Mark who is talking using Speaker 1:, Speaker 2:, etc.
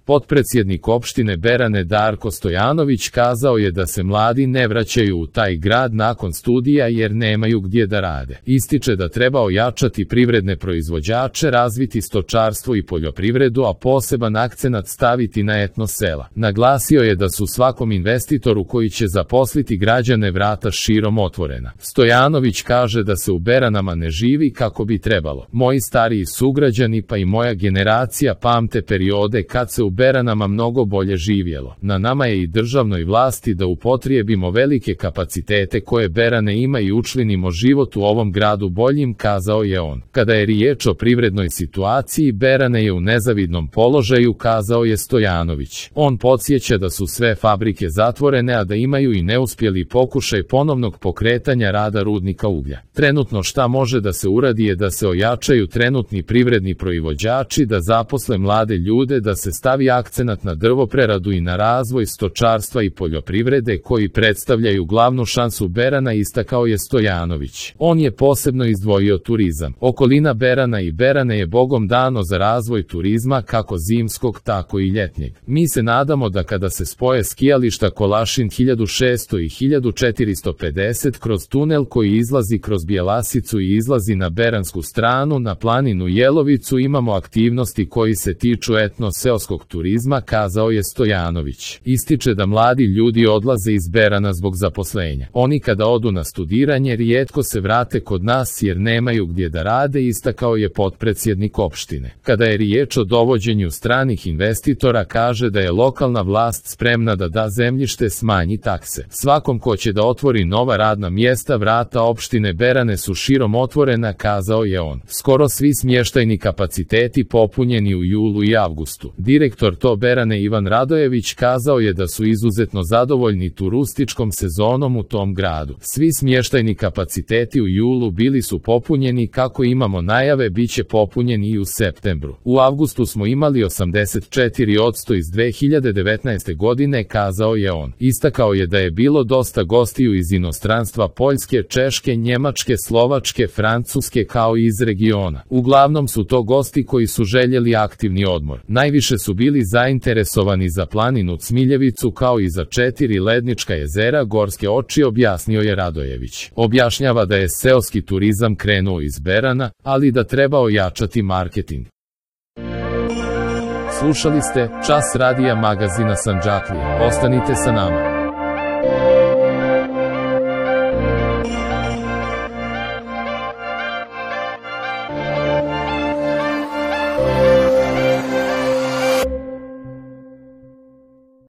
Speaker 1: Potpredsjednik opštine Berane Darko Stojanović kazao je da se mladi ne vraćaju u taj grad nakon studija jer nemaju gdje da rade. Ističe da treba ojačati privredne proizvođače, razviti stočarstvo i poljoprivredu, a poseban akcenat staviti na etno sela. Naglasio je da su svakom investitoru koji će zaposliti građane vrata širom otvorena. Stojanović kaže da se u Beranama ne živi kako bi trebalo. Moji stariji sugrađani pa i moja generacija pamte periode kad se u Beranama mnogo bolje živjelo. Na nama je i državnoj vlasti da upotrijebimo velike kapacitete koje Berane ima i učinimo život u ovom gradu boljim, kazao je on. Kada je riječ o privrednoj situaciji, Berane je u nezavidnom položaju, kazao je Stojanović. On podsjeća da su sve fabrike zatvorene, a da imaju i neuspjeli pokušaj ponovnog pokretanja rada rudnika uglja. Trenutno šta može da se uradi je da se ojačaju trenutni privredni proizvođači, da zaposle mlade ljude, da se stavi akcenat na drvopreradu i na razvoj stočarstva i poljoprivrede koji predstavljaju glavnu šansu Berana, istakao je Stojanović. On je posebno izdvojio turizam. Okolina Berana i Berane je bogom dano za razvoj turizma kako zimskog tako i ljetnjeg. Mi se nadamo da kada se spoje skijališta Kolašin 1600 i 1450 kroz tunel koji izlazi kroz Bjelasicu i izlazi na beransku stranu na planinu Jelovicu, imamo aktivnosti koji se tiču etno-seoskog turizma, kazao je Stojanović. Ističe da mladi ljudi odlaze iz Berana zbog zaposlenja. Oni kada odu na studiranje rijetko se vrate kod nas jer nemaju gdje da rade, istakao je potpredsjednik opštine. Kada je riječ o dovođenju stranih investitora, kaže da je lokalna vlast spremna da da zemljište, smanji takse. Svakom ko će da otvori nova radna mjesta, vrata opštine Berane su širom otvorena, kazao je on. Skoro svi smještajni kapaciteti popunjeni u julu i avgustu. Direktor to Berane Ivan Radojević kazao je da su izuzetno zadovoljni turističkom sezonom u tom gradu. Svi smještajni kapaciteti u julu bili su popunjeni, kako imamo najave bit će popunjeni i u septembru. U avgustu smo imali 84% iz 2019. godine, kazao je on. Istakao je da je bilo dosta gostiju iz inostranstva, Poljske, Češke, Njemačke, Slovačke, Francuske kao i iz regiona. Uglavnom su to gosti koji su željeli aktivni odmor. Najviše su bili zainteresovani za planinu Cmiljevicu kao i za 4 lednička jezera Gorske oči, objasnio je Radojević. Objašnjava da je seoski turizam krenuo iz Berana, ali da treba ojačati marketing. Slušali ste Čas radija magazina Sandžaklija. Ostanite sa nama.